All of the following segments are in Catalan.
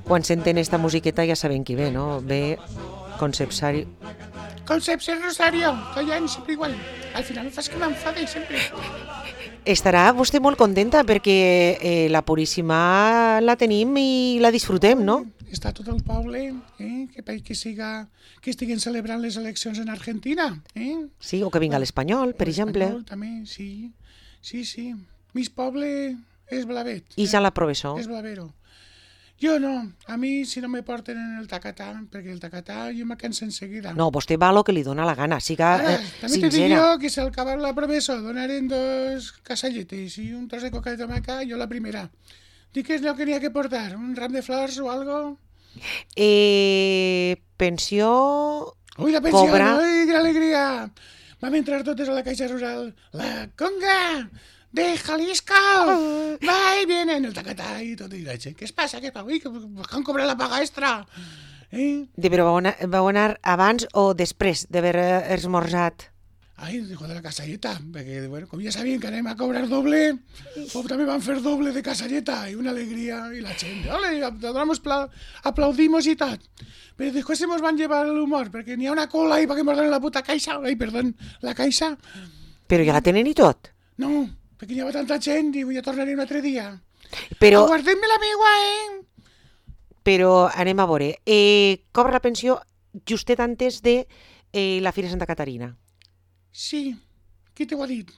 Quan senten esta musiqueta ja saben qui ve, no? Ve Concepsario. Concepción Rosario, callant sempre igual. Al final fas que m'enfade sempre. Estarà vostè molt contenta perquè la Puríssima la tenim i la disfrutem, no? Està tot el poble, que estiguen celebrant les eleccions en Argentina. Sí, o que vinga l'Espanyol, per exemple. L'Espanyol també, sí. Sí. Mis poble és blavet. I ja la professor. És blavero. Jo no, a mi si no me porten en el tacatà, perquè el tacatà jo me canso enseguida. No, vostè va lo que li dona la gana, siga també te dic sincera. jo que si al acabar la professor donaren 2 casalletes i un tros de coca de tomaca, jo la primera. Dic que és el que n'hi ha que portar, un ram de flors o algo. Pensió... Ui, la pensió, Cobra. ui, que alegria! Vam entrar totes a la caixa rural. La conga de Jalisco! Va i vienen el tacatà i tot. I la gent, què es passa? Ui, que han cobrat la paga extra! Però vau anar abans o després d'haver esmorzat? Ai, dijo de la casalleta, perquè, bueno, com ja sabien que anem a cobrar doble, també van fer doble de casalleta, i una alegria, i la gent, ole, aplaudimos i tot. Però després se mos van llevar l'humor, perquè n'hi ha una cola i perquè mos donen la puta caixa, la caixa. Però ja la tenen i tot? No, perquè n'hi havia tanta gent i ja tornaré un altre dia. Però, Aguardem-me la meua, però anem a veure. Cobra la pensió justet antes de la Fira Santa Caterina. Sí, qui t'ho ha dit?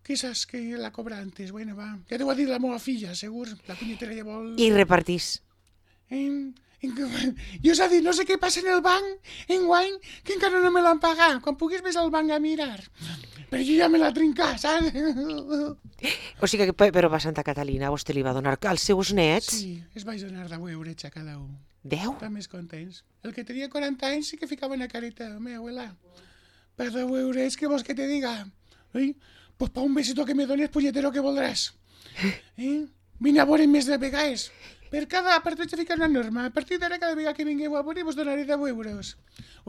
Qui saps que la cobra antes? Bueno, va, ja t'ho ha dit la meva filla, segur, la punyetera ja vol... I repartís. Jo s'ha dit, no sé què passa en el banc, enguany, que encara no me l'han pagat. Quan puguis vés al banc a mirar. Però jo ja me l'ha trincat, saps? O sigui que, però a Santa Catalina vostè li va donar als seus nets? Sí, es vaig donar 10 euros a cada un. 10? Estan més contents. El que tenia 40 anys sí que ficava una careta, meva abuela. Per 10 euros, què vols que te diga? Pues pa un besito que me dones, punyetero, que voldràs. Vine a veure més de vegades. A partir de ficar una norma, a partir d'ara cada vegada que vingueu a veure vos donaré 10 euros.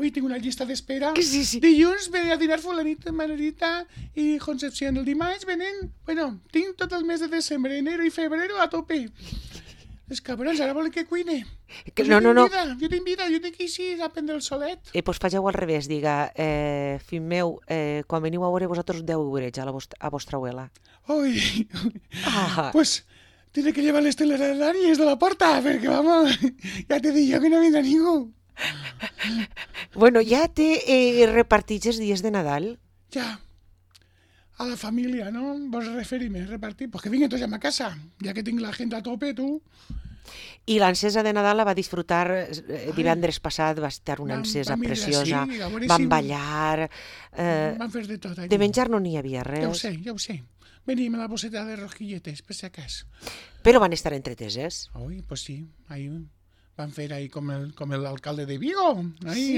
Ui, tinc una llista d'espera. Sí. Dilluns ve a dinar fulanita, Manolita i Concepción. El dimarts venen... Bueno, tinc tot el mes de desembre, enero i febrero a tope. Els cabrons, ara volen que cuine. No. Jo tinc vida, jo tinc així a prendre el solet. Pues fageu al revés, diga, fill meu, quan veniu a veure vosaltres 10 euros a vostra abuela. Ui, pues tiene que llevar les telarañas de la porta, perquè, vamos, ja te dic jo que no vindrà ningú. Bueno, ja té repartits els dies de Nadal? Ja. A la família, no? Vos referim-me, repartir? Pues que vinguen tots a ma casa, ja que tinc la gent a tope, tu. I l'encesa de Nadal la va disfrutar divendres passat, va estar una encesa preciosa, van ballar... Van fer de tot. De menjar no n'hi havia res. Ja ho sé. Venim a la bosseta de rosquilletes, per si acas. Però van estar entreteses. Ui, pues sí, ahí van fer ahí com el alcalde de Vigo. Ahí,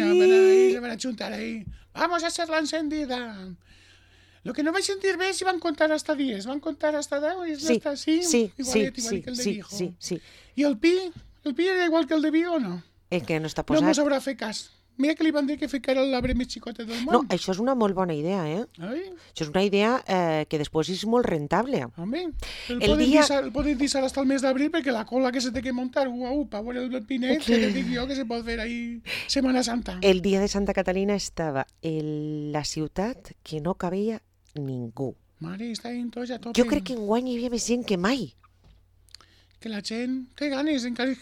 se van a juntar ahí. Vamos a hacer la encendida. Lo que no vaig sentir bé és si van contar hasta 10, van contar hasta 10 i hasta 5, igual que el de Vigo. Sí. I el pi era igual que el de Vigo o no? Que no està No posat. mos haurà fet cas. Mira que li van dir que ficara l'arbre més xicota del món. No, això és una molt bona idea, Ai, Això és una idea que després és molt rentable. home, El poden deixar hasta el mes d'abril perquè la cola que se té que muntar, per veure el pinet, que te dic jo que se pot fer ahí Setmana Santa. El dia de Santa Catalina estava en la ciutat que no cabia ningú. Mare, està en tots a tope. Jo crec que enguany hi havia més gent que mai. Que la gent té ganes, encara es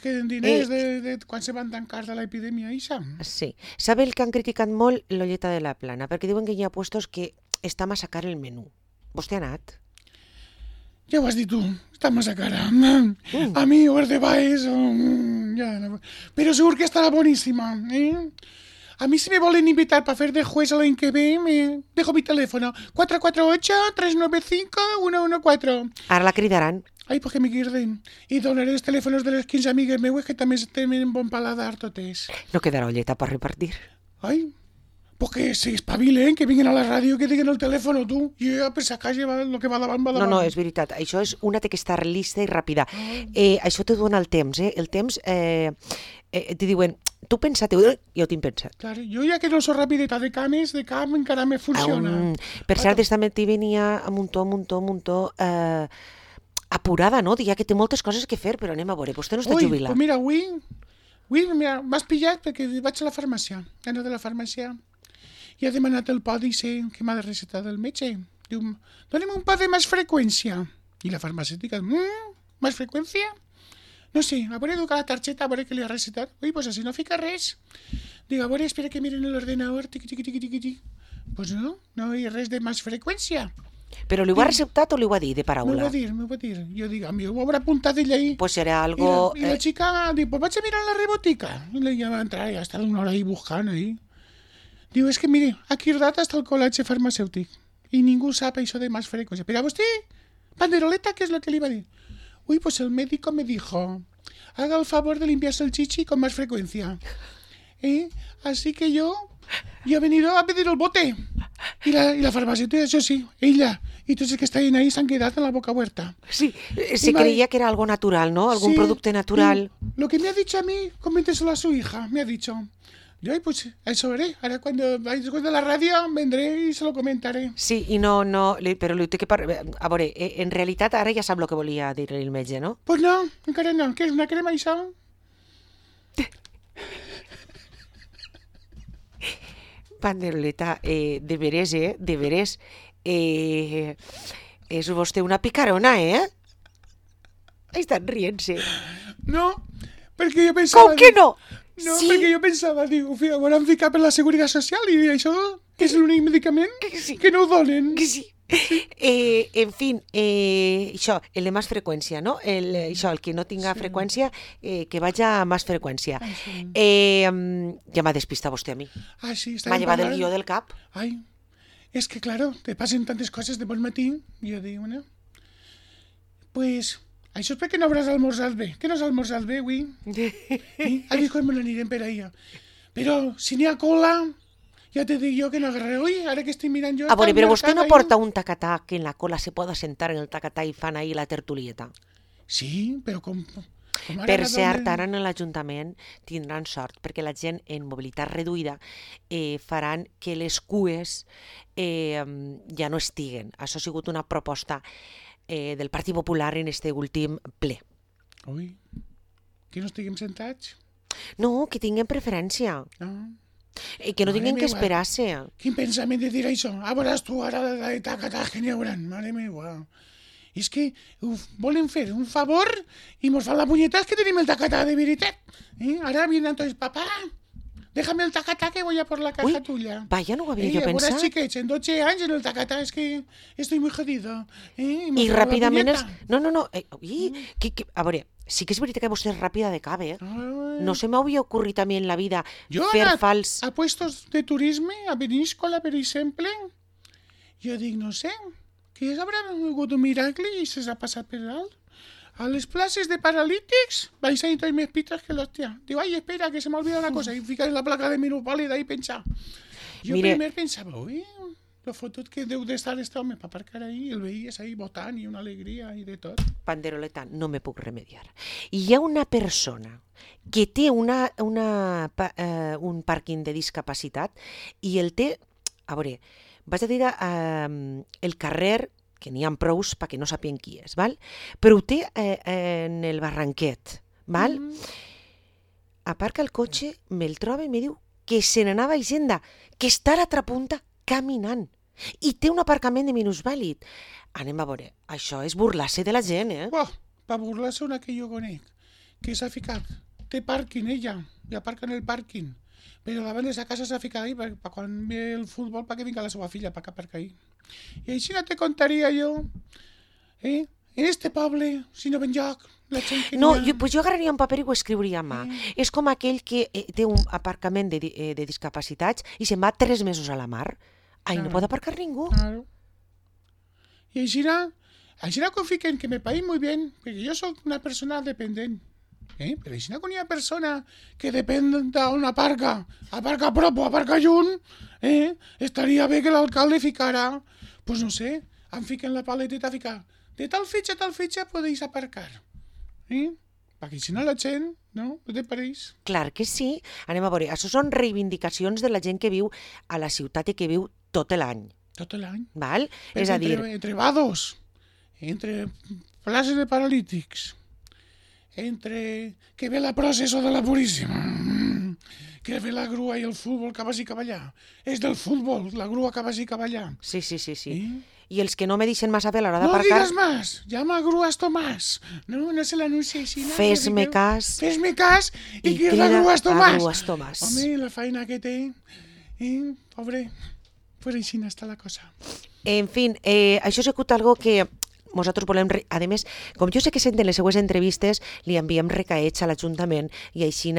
queden diners de quan se van tancar de l'epidèmia, ixa. Sí. Sabe el que han criticat molt l'olleta de la Plana? Perquè diuen que hi ha puestos que està massa car el menú. Vostè ha anat? Ja ho has dit tu, està massa cara. A mi, o de baix, però segur que estarà boníssima. A mi si me volen invitar para hacer de juez el año que ve, me dejo mi teléfono. 448-395-114. Ara la cridaran. Ai, pues que me guirden. I donaré els telèfons de les 15 amigues meues que també tenen bon paladar totes. No quedarà olleta per repartir. Ai, pues que se espavilen, que vinguin a la ràdio, que diguen el telèfon, tu. Jo ja per sacar el que va davant, va davant. No, és veritat. Això és una té que estar lista i ràpida. Això te dona el temps, El temps, te diuen, tu pensa't, jo tinc pensat. Clar, jo ja que no soc rapideta de cames, de camp encara me funciona. Per cert, esta matí venia a muntó, apurada, no? Dia que té moltes coses que fer, però anem a veure, vostè no està jubilat. Pues mira, avui m'has pillat perquè vaig a la farmàcia, he anat a la farmàcia i he demanat el pòdice que m'ha de recetar del metge. Diu, doni'm un pot de més freqüència. I la farmacèutica, més freqüència? No sé, a veure, educar la targeta, a veure què li ha recetat. Ui, pues així no fica res. Dic, a veure, espera que miren l'ordenador, tiqui. Pues no hi ha res de més freqüència. Però li ho ha receptat o li ho ha dit de paraula? M'ho va dir. Jo dic, a mi ho haurà apuntat ella ahí. Pues serà algo... I la chica diu, pues vaig a mirar la rebotica. I ella va entrar i va estar una hora ahí buscant ahí. Diu, és que mire, aquí data està el col·legi farmacèutic i ningú sap això de més freqüència. Però a vostè, Panderoleta, ¿qué es lo que le iba a decir? Uy, pues el médico me dijo, haga el favor de limpiarse el chichi con más frecuencia. Así que yo he venido a pedir el bote. Y la farmacéutica, eso sí, ella y todos los que están ahí se han quedado en la boca abierta. Sí, se creía que era algo natural, ¿no? Algún producto natural. Lo que me ha dicho a mí, coménteselo a su hija, me ha dicho. Yo, pues, eso haré. Ahora cuando vaya después de la radio, vendré y se lo comentaré. Sí, i no, però li té que a veure, en realitat ara ja sap el que volia dir-li el metge, no? Pues no, encara no. Què és, una crema, això? Panderoleta, de veres, és vostè una picarona, Estan rient-se. No, perquè jo pensava... Com que no? No, sí. Perquè jo pensava, diu, ho hauran ficat per la Seguretat Social i això és l'únic medicament que no ho donen. Sí. En fi, això, el de més freqüència, no? El que no tinga freqüència, que vagi a més freqüència. Ja m'ha despistat vostè a mi. Sí, m'ha llevat el guió del cap. Ai, és que, claro, te passen tantes coses de bon matí. I jo dic, bueno, pues... Això és perquè no hauràs almorzat bé. Que no has almorzat bé, avui? Ha dit com me n'anirem per allà. Però si n'hi ha cola, ja te dic jo que no agarraré. Ui, ara que estic mirant jo... A veure, però vostè no porta un tacatà que en la cola se pueda sentar en el tacatà i fan ahí la tertulieta? Sí, però com per cert, ara en l'Ajuntament tindran sort, perquè la gent en mobilitat reduïda faran que les cues ja no estiguen. Això ha sigut una proposta del Partit Popular en este últim ple. Ui, que no estiguem sentats? No, que tinguem preferència. Que no tinguem que esperar-se. Quin pensament de dir això? Veuràs tu ara de tacatàs que n'hi hauran. Mare meva. És que volen fer un favor i mos fan la punyeta que tenim el tacatà de veritat. Ara vienen tots, papá, déjame el tacatá que voy a por la caja tuya. Vaya, no ho havia jo pensat. Ahora chiquets, en 12 anys en el tacatá, es que estoy muy jodido. I ràpidament... No. A veure, sí que és veritat que vostè és ràpida de cap, No se m'havia ocorrit a mi en la vida fer fals... a puestos de turisme, a Peníscola, per exemple. Jo dic, no sé, que haurà hagut un miracle i se s'ha passat per alt. A les places de paralítics vais a ir tots més pitres que l'hòstia. Diu, ai, espera, que se m'ha olvidat una cosa. I ficar la placa de minusvàlida i pensar. Jo primer pensava, ui, lo fotut que deu d'estar este home per aparcar ahí, el veies ahí votant i una alegria i de tot. Panderoleta, no me puc remediar. Hi ha una persona que té un pàrquing de discapacitat i el té, a veure, vaig a dir el carrer, que n'hi ha prous perquè no sapien qui és, val? Però ho té en el barranquet, val? Aparca el cotxe, me'l troba i me diu que se n'anava a Hisenda, que està a l'altra punta caminant i té un aparcament de minusvàlid. Anem a veure, això és burlar-se de la gent, Per burlar-se una que jo conec, que s'ha ficat, té pàrquing ella, i aparca en el pàrquing, però davant de sa casa s'ha ficat ahí per quan ve el futbol perquè vinga la seva filla per aparcar ahí. I així no te contaria jo, en este poble, si no ven lloc, la gent que no, jo agarraria un paper i ho escriuria a mà. És com aquell que té un aparcament de discapacitats i se'n va 3 mesos a la mar. Ahí no pot aparcar ningú. Claro. I així no confien que me paguin muy bien, perquè jo soc una persona dependent. Però si no hi ha persona que depèn d'on aparca a prop o aparca lluny, estaria bé que l'alcalde ficara, pues no sé, em fiquen la paleteta a ficar, de tal fitxa podeu aparcar. Perquè si no la gent, no te pareix? Clar que sí. Anem a veure, això són reivindicacions de la gent que viu a la ciutat i que viu tot l'any. Tot l'any? Val? És a dir... Entre vados. entre places de paralítics, entre que ve la processó de la Puríssima, que ve la grua i el futbol que vagi cap allà. És del futbol, la grua que vagi cap allà. Sí. ¿Eh? I els que no me deixen massa bé a l'hora No d'aparcar... digas más, llama a grúas Tomás. No se l'anuncia així. Fes-me cas Fes-me cas i crida crida a grúas Tomàs. a grúas Tomàs. Home, la feina que té, pobre, pues així està la cosa. En fin, això ha sigut algo que nosaltres volem... A més, com jo sé que senten les seues entrevistes, li enviem recaets a l'Ajuntament i així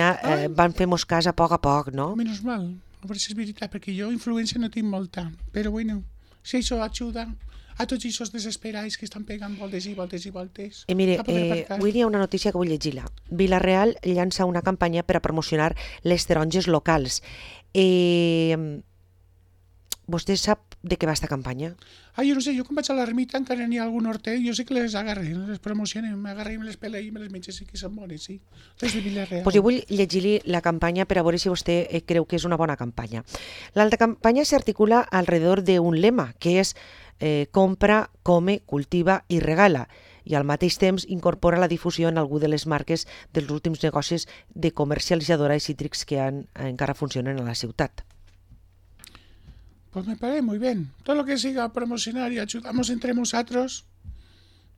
van fer-nos cas a poc, no? Menos mal, a veure si és veritat, perquè jo influència no tinc molta, però bueno, si això ajuda a tots aquests desesperats que estan pegant voltes i voltes. Mire, avui hi ha una notícia que vull llegir-la. Vilareal llança una campanya per a promocionar les taronges locals. Vostè sap de què va esta campanya? Jo no sé, jo quan vaig a l'ermita encara n'hi ha algun hortet, jo sé que les agarré, les promocionen, m'agarré i me les pelé i me les menges, sí que són bones, sí. Les de Vilareal. Pues jo vull llegir-li la campanya per a veure si vostè creu que és una bona campanya. La campanya s'articula alrededor d'un lema, que és compra, come, cultiva i regala, i al mateix temps incorpora la difusió en algú de les marques dels últims negocis de comercialitzadora de cítrics que encara funcionen a la ciutat. Pues me parece muy bien. Todo lo que siga a promocionar y ayudamos entre nosotros,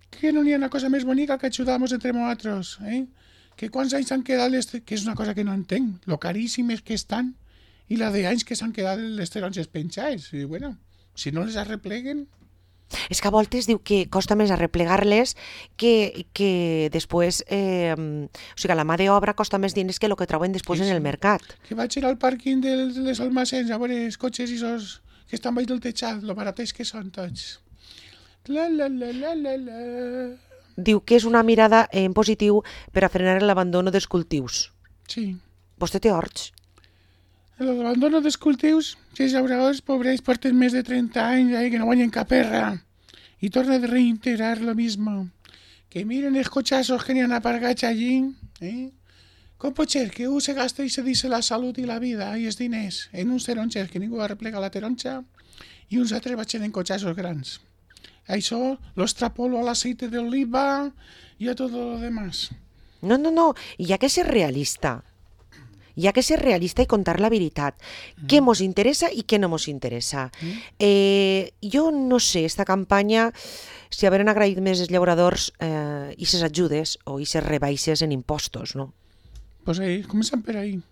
que no hi ha una cosa més bonica que ayudamos entre nosotros, Que quants anys s'han quedat, que és una cosa que no entenc, lo caríssimes que estan, i la de anys que s'han quedat les taronges penjades. I bueno, si no les arrepleguen... És que a voltes diu que costa més arreplegar-les que després... o sigui, la mà d'obra costa més diners que el que troben després en el mercat. Que vaig ir al pàrquing de les almacens a veure els cotxes i esos que estan baix del teixat, lo baratets que són tots. Diu que és una mirada en positiu per a frenar l'abandono dels cultius. Sí. Vostè té horts? L'abandono dels cultius, si els llauradors pobres porten més de 30 anys que no guanyen cap perra i torna a reintegrar lo mismo. Que miren els cotxassos que n'hi han aparcats allí, Com pot ser que un se gasta i se dice la salut i la vida i els diners en uns taronges que ningú arreplega la taronja i uns altres vaig en cotxassos grans? Això lo extrapolo a l'aceite d'oliva i a tot lo demás. No, hi ha que ser realista. Hi ha que ser realista i contar la veritat. Què mos interessa i què no mos interessa. Jo no sé, esta campanya, si haveren agraït més els llauradors i ses ajudes o i ses rebaixes en impostos, no? Pues comencem per ahí.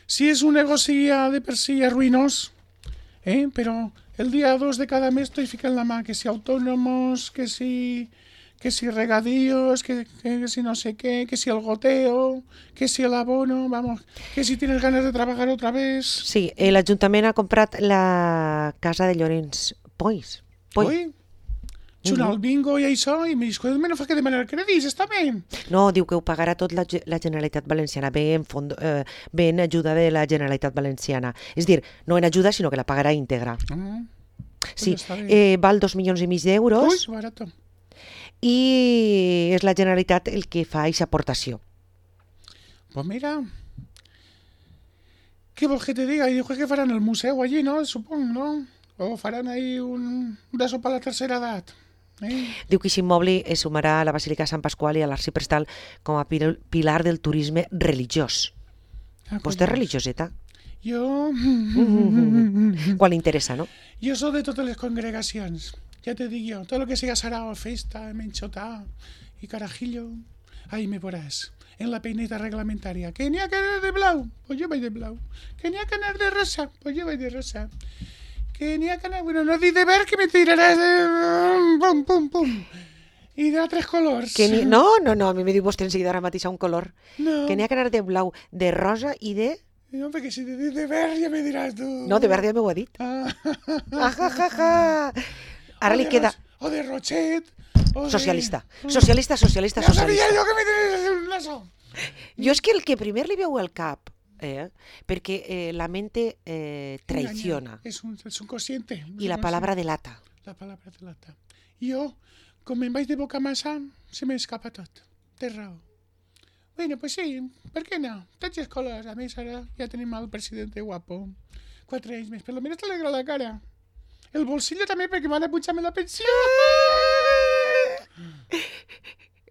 Si és un negoci de per si ruïnós, però el dia 2 de cada mes estoy ficant la mà, que si autònomos, que si regadíos, que si no sé qué, que si el goteo, que si el abono, vamos, que si tienes ganas de trabajar otra vez. Sí, l'Ajuntament ha comprat la casa de Llorenç Pois. Poi? Xunar el bingo i això, i me dius, no fa que demanar crèdits, està bé. No, diu que ho pagarà tot la Generalitat Valenciana, ve en ajuda de la Generalitat Valenciana. És dir, no en ajuda, sinó que la pagarà íntegra. Sí, val 2,5 milions d'euros. Ui, barato. I és la Generalitat el que fa aquesta aportació. Pues mira, ¿qué vols que te diga? Y dijo que farán el museu allí, ¿no? Supongo, ¿no? O farán ahí una sopa a la tercera edat. Diu que aquest immoble es sumarà a la Basílica de Sant Pasqual i a l'Arxiprestal com a pilar del turisme religiós. Vostè és religioseta? Jo... Quan li interessa, no? Jo soc de totes les congregacions. Ja te dic jo, tot el que siga sarao, festa, menxotà i carajillo, ahí me veuràs. En la peineta reglamentària. Que n'hi ha que anar de blau? Pues jo vaig de blau. Que n'hi ha que anar de rosa? Pues jo vaig de rosa. Que n'hi ha que anar... Bueno, no dic de verd que me tiraràs de... Pum, pum, pum. I d'altres colors. No, a mi me diu vostè enseguida ara mateix un color. No. Que n'hi ha que anar de blau, de rosa i de... No, perquè si te dic de verd ja me diràs tu. No, de verd ja m'ho ha dit. Ara li queda... O de Rochet... Socialista. Ja sabia jo que me tenies un naso. Jo és que el que primer li veu al cap, perquè la mente traiciona. Es un consciente. Y la palabra delata. La palabra delata. Jo, com me'n vaig de boca massa, se m'escapa tot. Té raó. Bueno, pues sí, per què no? Tots els colors. A més, ara ja tenim el president guapo. 4 anys més, per lo menos t'alegra la cara. El bolsillo també, perquè m'han de pujar-me la pensió.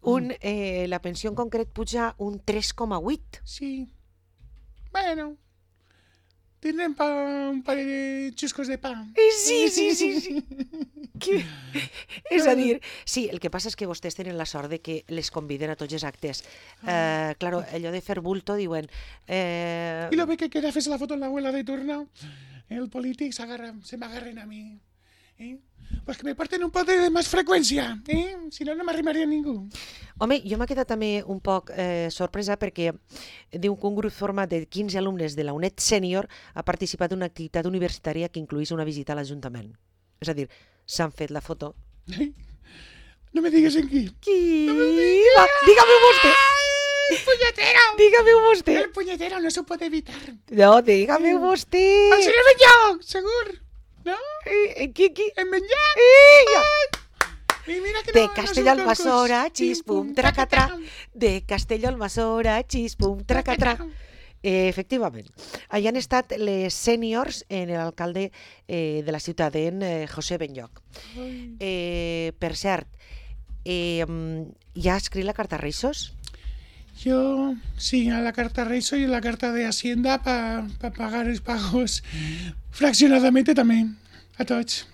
la pensió en concret puja un 3,8. Sí. Bueno, tindrem un parell de xuscos de pa. Sí. És a dir, sí, el que passa és que vostès tenen la sort de que les conviden a tots els actes. Claro, allò de fer bulto, diuen... Y lo ve que queda hacerse la foto en la abuela de turno. El polític se m'agarren a mi. Pues que me porten un pote de més freqüència. Si no, no m'arrimaria ningú. Home, jo m'he quedat també un poc sorpresa perquè diu que un grup format de 15 alumnes de la UNED Sènior ha participat en una activitat universitària que incluís una visita a l'Ajuntament. És a dir, s'han fet la foto. No me digues en qui. Qui? Va, dígame vostè. ¡El puñetero! Dígame vostè. El puñetero no se puede evitar. No, dígame vostè. El senyor Benlloc, segur. ¿No? Qui? En Benlloc. I mira que de Castelló al Masora, xispum, tracatra. De Castelló al Masora, xispum, tracatra. Efectivament. Allà han estat les sèniors en l'alcalde de la ciutat, en José Benlloc. Per cert, ja ha escrit la carta a Reissos? Yo, sí, a la carta Reiso y a la carta de Hacienda para pagar los pagos fraccionadamente también, a tots.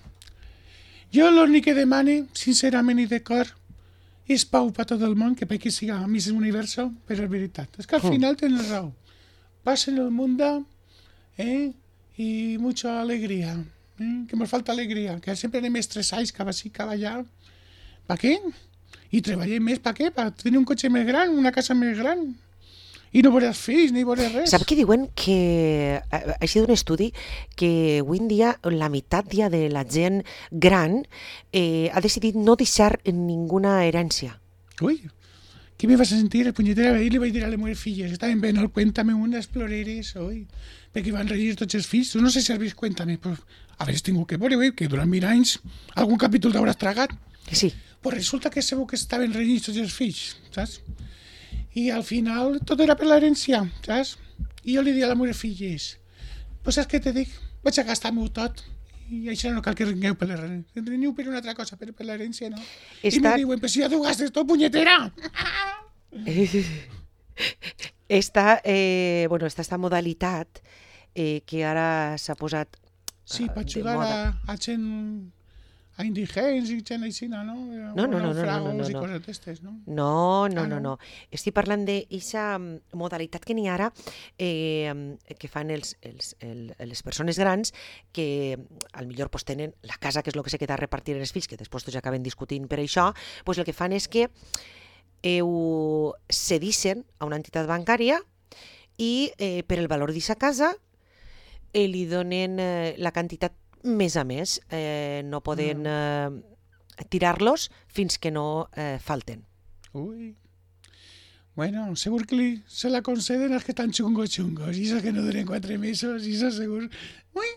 Jo l'únic que demane, sincerament i de cor, és pau per tot el món, que perquè siga Miss Universo, però és veritat. És que al final tenen raó. Paz en el mundo, y mucha alegría. Que nos falta alegría, que sempre anem estressats, cap així, cap allà. Per què? I treballem més, per què? Per tenir un cotxe més gran, una casa més gran. I no veuràs fills, ni veuràs res. Sap que diuen que, ha sigut un estudi, que avui en dia la meitat ja de la gent gran ha decidit no deixar ninguna herència. Ui, què me vas a sentir? El punyetera ahir li vaig dir a les meves filles, estaven veient el Cuéntame unes ploreres, oi? Perquè van renyir tots els fills. Tu no sé si has vist Cuéntame, però haver tingut que veure, que durant 1000 anys algun capítol t'hauràs tragat. Sí. Pues resulta que segur que estaven renyits tots els fills, saps? I al final tot era per l'herència, saps? I jo li dic a les meves filles, pues saps què te dic? Vaig a gastar-m'ho tot. I això no cal que rengueu per l'herència. Reniu per una altra cosa, però per l'herència no. I me diuen, pues si ja t'ho gastes tot, punyetera! Està modalitat que ara s'ha posat sí, per ajudar a gent, a indigents i gent així, no? No. I coses d'estes, no? No. Estic parlant d'aquesta modalitat que n'hi ha ara que fan les persones grans que al millor pues, tenen la casa, que és el que se queda a repartir en els fills, que després tots acaben discutint per això, pues, el que fan és que ho cedixen a una entitat bancària i per el valor d'aquesta casa li donen la quantitat més a més, no poden tirar-los fins que no falten. Ui. Bueno, segur que se la conceden als que estan chungos, i esos que no duren 4 mesos, i esos segur... Ui,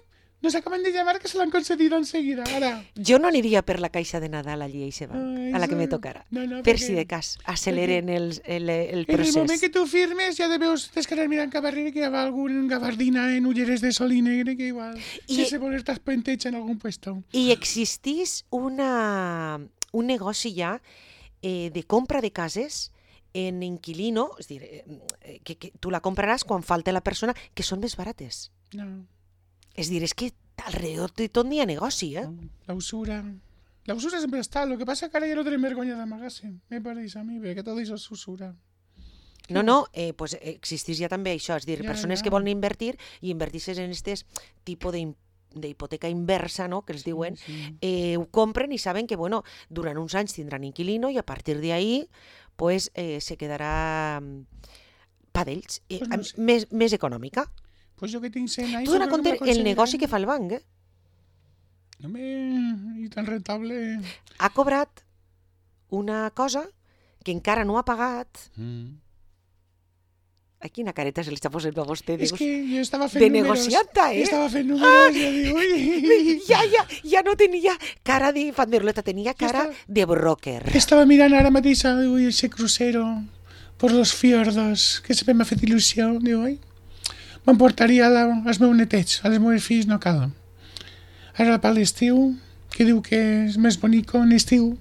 nos acaban de llamar que se lo han concedido enseguida, ara. Jo no aniria per la caixa de Nadal allí a ese banc, a la que me tocara. No, per si de cas, aceleren el procés. En el moment que tu firmes ja deveus descarregar mirant cap darrere que hi ha algun gabardina en ulleres de sol i negre que igual sense voler-te penteig en algun puesto. I existís un negoci ja de compra de cases en inquilino, és a dir, que tu la compraràs quan falta la persona, que són més barates. No. És a dir, és que alrededor de tot n'hi ha negoci, La usura sempre està, lo que passa que ara ja no tenim vergonya d'amagar-se, me pareix a mi, perquè tot això és usura. No, pues existís ja també això, és a dir, persones que volen invertir i invertir-se en aquest tipus d'hipoteca inversa, no?, que els diuen, ho compren i saben que, bueno, durant uns anys tindran inquilino i a partir d'ahí, pues, se quedarà pa d'ells, més econòmica. Pues jo que tinc 100 anys... Tu dona compte el negoci que fa el banc, i tan rentable... Ha cobrat una cosa que encara no ha pagat... A quina careta se li està posant a vostè? És que jo estava fent de números. negocianta, Estava fent números i jo dic, ui... Ja no tenia cara de fanderleta, tenia cara de broker. Estava mirant ara mateix, ui, ese crucero por los fiordos, que sempre m'ha fet il·lusió, diu, oi? M'emportaria als meus netets, als meus fills no cal. Ara per l'estiu, que diu que és més bonic en estiu,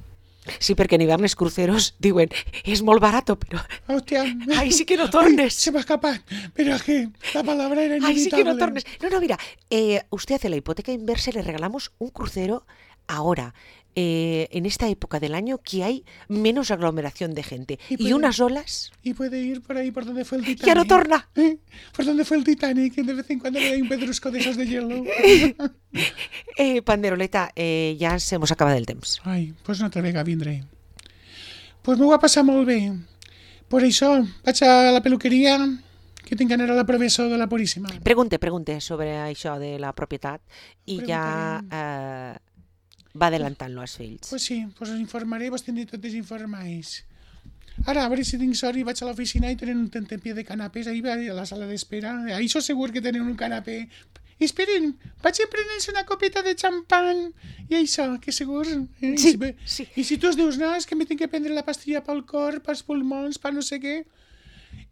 Sí, perquè en hivern els cruceros diuen és molt barato, però Hòstia. ai, sí que no tornes. Ay, se me ha escapado. Pero es que la palabra era Ay, sí que no inevitable. tornes. No, mira, usted hace la hipoteca inversa y le regalamos un crucero ahora, en esta época del año que hay menos aglomeración de gente Y y puede- unas olas. Y puede ir por ahí por donde fue el Titanic. ¡Ya no torna! Por donde fue el Titanic, que de vez en cuando le da un pedrusco de esos de hielo. Panderoleta, ja se mos acaba del temps. Ai, pues una altra vegada vindré. Pues m'ho va passar molt bé. Per això vaig a la peluqueria, que tinc d'anar a la professor de la Puríssima. Pregunte sobre això de la propietat i ja va adelantant-lo als fills. Pues sí, pues us informaré, vos tindré totes informais. Ara, a veure si tinc sort i vaig a l'oficina i tenen un tentempié de canapés ahí a la sala d'espera. Ahí sóc segur que tenen un canapé. Esperen, vaig a prendre's una copeta de xampany. I això, que segur... Sí, I sí. I si tu es dius, no, és que me tinc que prendre la pastilla pel cor, pels pulmons, per no sé què...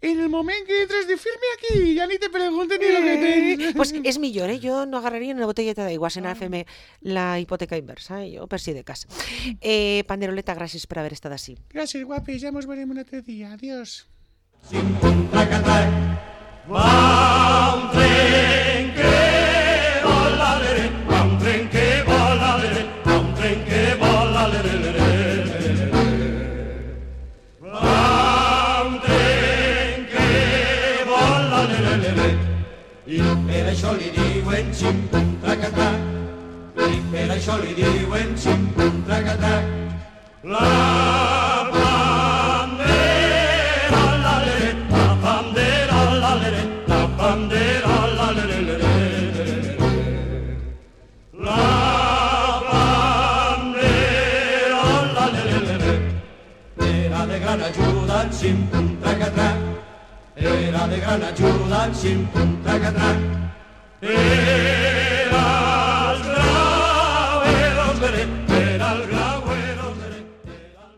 En el moment que entres de firme aquí, ja ni te pregunten ni lo que tens. Pues és millor, jo no agarraria una botelleta d'aigua sense fer-me la hipoteca inversa, jo per si de cas. Panderoleta, gràcies per haver estat així. Gràcies, guapes, ja mos veurem un altre dia. Adiós. I per això li diuen xim-pum-trac-trac, i per això li diuen xim-pum-trac-trac. La bandera, la lere, la bandera, la lere, la bandera, la lere, lere, lere. La bandera, la lere, lere, era de gran ajuda en xim-pum-trac-trac. Era de gran ajuda en xim-pum-trac-trac. Era